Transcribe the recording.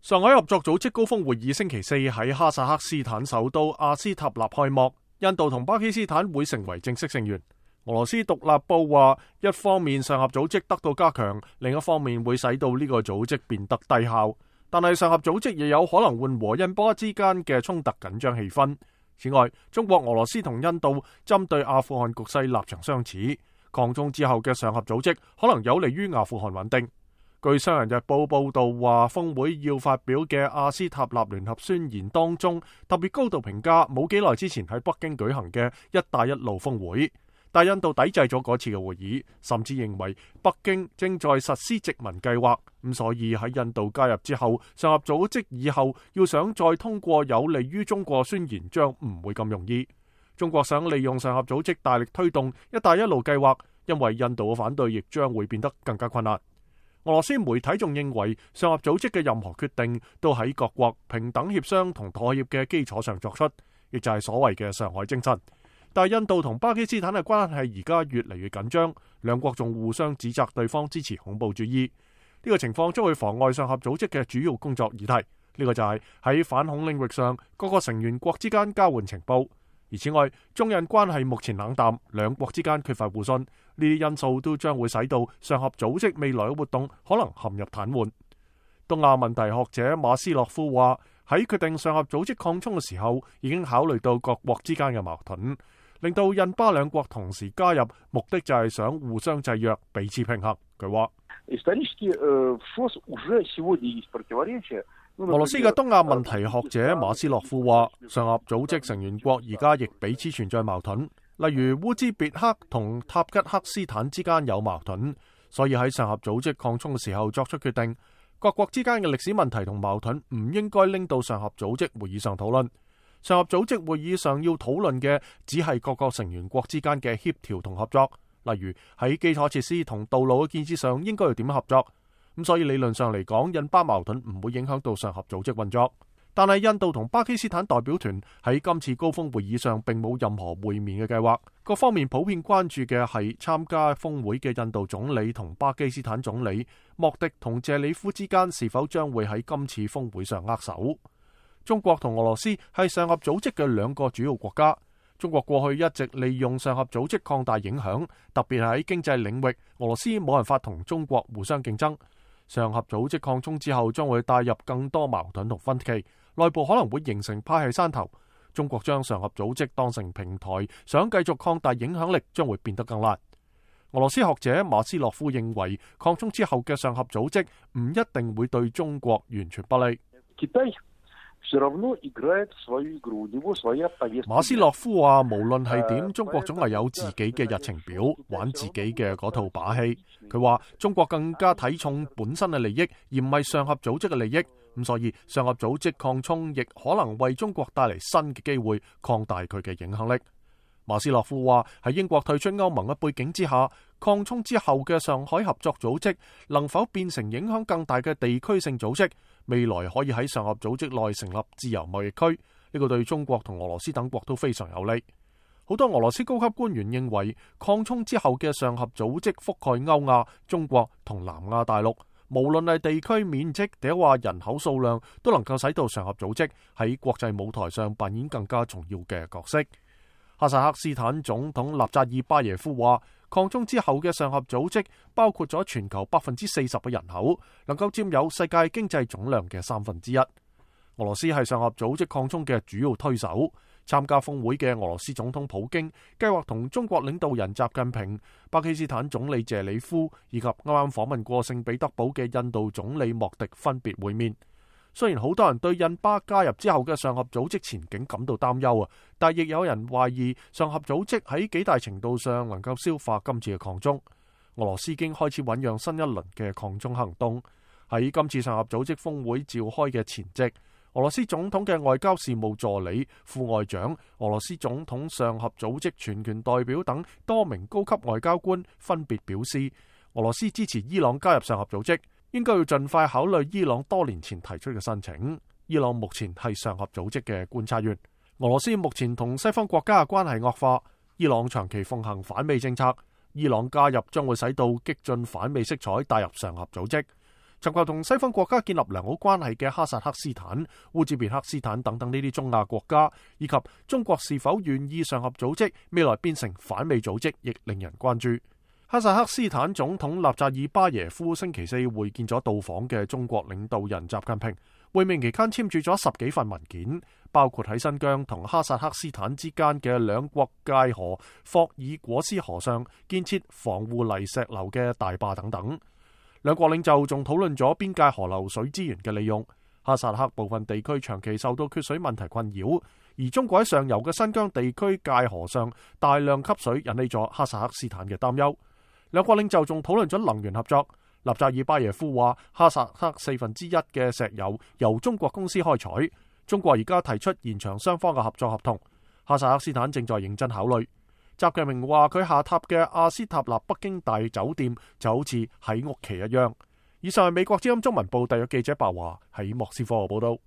上海合作組織高峰會議星期四喺哈薩克斯坦首都阿斯塔納開幕，印度同巴基斯坦會成為正式成員。俄羅斯獨立報話，一方面上合組織得到加強，另一方面會使到呢個組織變得低效。但係上合組織亦有可能緩和印巴之間嘅衝突緊張氣氛。此外，中國、俄羅斯同印度針對阿富汗局勢立場相似，擴充之後嘅上合組織可能有利於阿富汗穩定。據商人日報報道話，峰會要發表嘅阿斯塔納聯合宣言當中，特別高度評價冇幾耐之前喺北京舉行嘅一帶一路峰會，但印度抵制咗嗰次嘅會議，甚至認為北京正在實施殖民計劃，咁所以喺印度加入之後，上合組織以後要想再通過有利於中國宣言將唔會咁容易。中國想利用上合組織大力推動一帶一路計劃，因為印度嘅反對亦將會變得更加困難。俄羅斯媒體仲認為，上合組織嘅任何決定都喺各國平等協商同妥協嘅基礎上作出，亦就係所謂嘅上海精神。但係印度同巴基斯坦嘅關係而家越嚟越緊張，兩國仲互相指責對方支持恐怖主義。呢個情況將會妨礙上合組織嘅主要工作議題。呢個就係喺反恐領域上各個成員國之間交換情報。而此外，中印關係目前冷淡，兩國之間缺乏互信，呢啲因素都將會使到上合組織未來嘅活動可能陷入癱瘓。東亞問題學者馬斯洛夫話：喺決定上合組織擴充嘅時候，已經考慮到各國之間嘅矛盾，令到印巴兩國同時加入，目的就係想互相制約，彼此平衡。佢話：俄羅斯嘅東亞問題學者馬斯洛夫話，上合組織成員國而家亦彼此存在矛盾，例如烏茲別克同塔吉克斯坦之間有矛盾，所以喺上合組織擴充嘅時候作出決定，各國之間嘅歷史問題同矛盾唔應該拎到上合組織會議上討論。上合組織會議上要討論嘅只係各個成員國之間嘅協調同合作，例如喺基礎設施同道路嘅建設上應該要點樣合作。咁所以理論上嚟講，印巴矛盾唔會影響到上合組織運作。但係印度同巴基斯坦代表團喺今次高峰會議上並冇任何會面嘅計劃。各方面普遍關注嘅係參加峰會嘅印度總理同巴基斯坦總理莫迪同謝里夫之間是否將會喺今次峰會上握手。中國同俄羅斯係上合組織嘅兩個主要國家。中國過去一直利用上合組織擴大影響，特別係喺經濟領域，俄羅斯冇辦法同中國互相競爭。上合組織擴充之後，將會帶入更多矛盾同分歧，內部可能會形成派系山頭。中國將上合組織當成平台，想繼續擴大影響力，將會變得更難。俄羅斯學者馬斯洛夫認為，擴充之後嘅上合組織唔一定會對中國完全不利。馬斯洛夫話，無論係點，中國總係有自己嘅日程表，玩自己嘅嗰套把戲。佢話中國更加睇重本身嘅利益，而唔係上合組織嘅利益。咁所以上合組織擴充亦可能為中國帶嚟新嘅機會，擴大佢嘅影響力。馬斯洛夫話，喺英國退出歐盟嘅背景之下，擴充之後嘅上海合作組織能否變成影響更大嘅地區性組織？未來可以喺上合組織內成立自由貿易區，呢個對中國同俄羅斯等國都非常有利。好多俄羅斯高級官員認為，擴充之後嘅上合組織覆蓋歐亞、中國同南亞大陸，無論係地區面積定話人口數量，都能夠使到上合組織喺國際舞台上扮演更加重要嘅角色。哈薩克斯坦總統納扎爾巴耶夫話，擴充之後嘅上合組織包括咗全球40%嘅人口，能夠佔有世界經濟總量嘅1/3。俄羅斯係上合組織擴充嘅主要推手。參加峰會嘅俄羅斯總統普京計劃同中國領導人習近平、巴基斯坦總理謝里夫以及啱啱訪問過聖彼得堡嘅印度總理莫迪分別會面。雖然好多人對印巴加入之後嘅上合組織前景感到擔憂啊，但亦有人懷疑上合組織喺幾大程度上能夠消化今次嘅擴充。俄羅斯已經開始醞釀新一輪嘅擴充行動。喺今次上合組織峰會召開嘅前夕，俄羅斯總統嘅外交事務助理、副外長、俄羅斯總統上合組織全權代表等多名高級外交官分別表示，俄羅斯支持伊朗加入上合組織，應該要盡快考慮伊朗多年前提出嘅申請。伊朗目前係上合組織嘅觀察員。俄羅斯目前同西方國家嘅關係惡化，伊朗長期奉行反美政策，伊朗加入將會使到激進反美色彩帶入上合組織。尋求同西方國家建立良好關係嘅哈薩克斯坦、烏茲別克斯坦等等呢啲中亞國家，以及中國是否願意上合組織未來變成反美組織，亦令人關注。哈薩克斯坦總統納扎爾巴耶夫星期四會見咗到訪嘅中國領導人習近平，會面期間簽署咗10幾份文件，包括喺新疆同哈薩克斯坦之間嘅兩國界河霍爾果斯河上建設防護泥石流嘅大壩等等。兩國領袖仲討論咗邊界河流水資源嘅利用。哈薩克部分地區長期受到缺水問題困擾，而中國喺上游嘅新疆地區界河上大量吸水，引起咗哈薩克斯坦嘅擔憂。兩國領袖仲討論咗能源合作。納扎爾巴耶夫話，哈薩克1/4嘅石油由中國公司開採，中國而家提出延長雙方嘅合作合同，哈薩克斯坦正在認真考慮。習近平話佢下榻嘅阿斯塔納北京大酒店就好似喺屋企一樣。以上係美國之音中文部特約記者白華喺莫斯科報道。